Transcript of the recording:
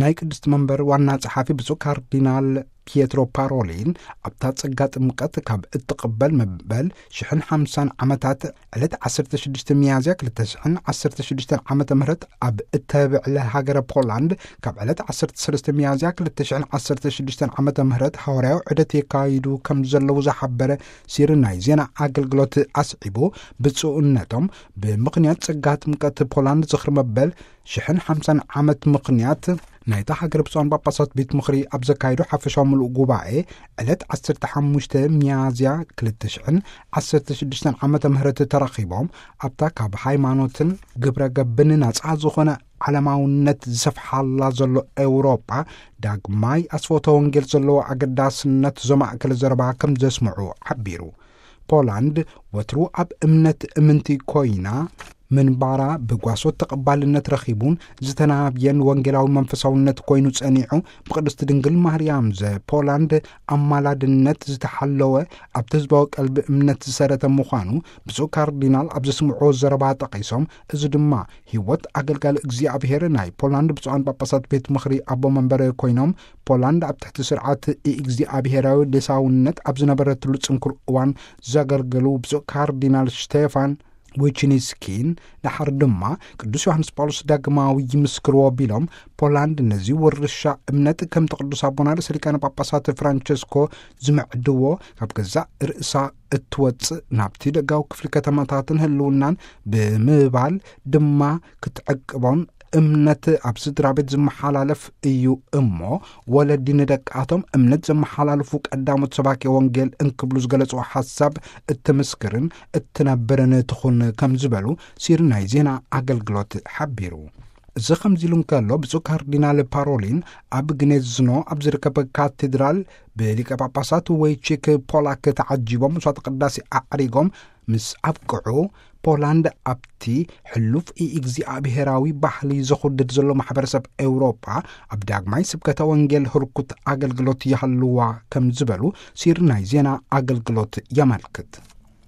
ናይ ቅድስቲ መንበር ዋና ጸሓፊ ብፁዕ ካርዲናል ፒየትሮ ፓሮሊን፣ ኣብታ ጸጋ ጥምቀት ካብ እትቕበል መበል ሽሕን ሓምሳን ዓመታት ዕለት ዓሰርተ ሽዱሽተ ሚያዝያ ክልተ ሽሕን ዓሰርተ ሽዱሽተን ዓመተ ምህረት ኣብ እተብዕለ ሃገረ ፖላንድ፣ ካብ ዕለት ዓሰርተ ሰለስተ ሚያዝያ ክልተ ሽሕን ዓሰርተ ሽዱሽተን ዓመተ ምህረት ሃዋርያዊ ዑደት የካይዱ ከም ዘለዉ ዝሓበረ ሲሪ ናይ ዜና ኣገልግሎት ኣስዒቡ፣ ብፁዕነቶም ብምኽንያት ጸጋ ጥምቀት ፖላንድ ዝኽሪ መበል ሽሕን ሓምሳን ዓመት ምኽንያት ናይታ ሃገር ብፁዓን ጳጳሳት ቤት ምኽሪ ኣብ ዘካየዶ ሓፈሻዊ ምሉእ ጉባኤ ዕለት ዓሰርተ ሓሙሽተ ሚያዝያ ክልተ ሽሕን ዓሰርተ ሽዱሽተን ዓመተ ምህረት ተራኺቦም፣ ኣብታ ካብ ሃይማኖትን ግብረ ገብን ናጻ ዝኾነ ዓለማውነት ዝሰፍሓላ ዘሎ ኤውሮጳ ዳግማይ ኣስፎተ ወንጌል ዘለዎ ኣገዳስነት ዘማእከለ ዘረባ ከም ዘስምዑ ሓቢሩ። ፖላንድ ወትሩ ኣብ እምነት እምንቲ ኮይና ምንባራ ብጓሶት ተቐባልነት ረኺቡን ዝተናብየን ወንጌላዊ መንፈሳውነት ኮይኑ ጸኒዑ፣ ብቅድስቲ ድንግል ማርያም ዘፖላንድ ኣማላድነት ዝተሓለወ ኣብቲ ህዝባዊ ቀልቢ እምነት ዝሰረተ ምዃኑ ብፁዕ ካርዲናል ኣብ ዘስምዕዎ ዘረባ ጠቒሶም፣ እዚ ድማ ህይወት ኣገልጋሊ እግዚኣብሔር ናይ ፖላንድ ብፁዓን ጳጳሳት ቤት ምኽሪ ኣቦ መንበረ ኮይኖም፣ ፖላንድ ኣብ ትሕቲ ስርዓት እግዚኣብሔራዊ ሌሳውነት ኣብ ዝነበረትሉ ጽንኩር እዋን ዘገልገሉ ብፁዕ ካርዲናል ሽቴፋን ዊችኒስኪን፣ ደሓር ድማ ቅዱስ ዮሃንስ ጳውሎስ ዳግማዊ ይምስክርዎ ቢሎም፣ ፖላንድ ነዚ ውርሻ እምነት ከምቲ ቅዱስ ኣቦና ርእሰ ሊቃነ ጳጳሳት ፍራንቸስኮ ዝምዕድዎ፣ ካብ ገዛእ ርእሳ እትወጽእ፣ ናብቲ ደጋዊ ክፍሊ ከተማታትን ህልውናን ብምባል ድማ ክትዕቅቦን፣ እምነት ኣብ ስድራ ቤት ዝመሓላለፍ እዩ እሞ፣ ወለዲ ንደቃቶም እምነት ዘመሓላልፉ ቀዳሞት ሰባኪ ወንጌል እንክብሉ ዝገለጽዎ ሓሳብ እትምስክርን እትነብርን ትኹን ከም ዝበሉ ሲሪ ናይ ዜና ኣገልግሎት ሓቢሩ። እዚ ከምዚ ኢሉ እንከሎ፣ ብፁዕ ካርዲናል ፓሮሊን ኣብ ግኔዝኖ ኣብ ዝርከብ ካቴድራል ብሊቀ ጳጳሳት ወይቺክ ፖላክ ተዓጂቦም መስዋዕተ ቅዳሴ ኣዕሪጎም ምስ ኣብቅዑ፣ ፖላንድ ኣብቲ ሕሉፍ ኢእግዚኣብሄራዊ ባህሊ ዘኹድድ ዘሎ ማሕበረሰብ ኤውሮጳ ኣብ ዳግማይ ስብከተ ወንጌል ህርኩት ኣገልግሎት ይሃልዋ ከም ዝበሉ ሲሪ ናይ ዜና ኣገልግሎት የመልክት።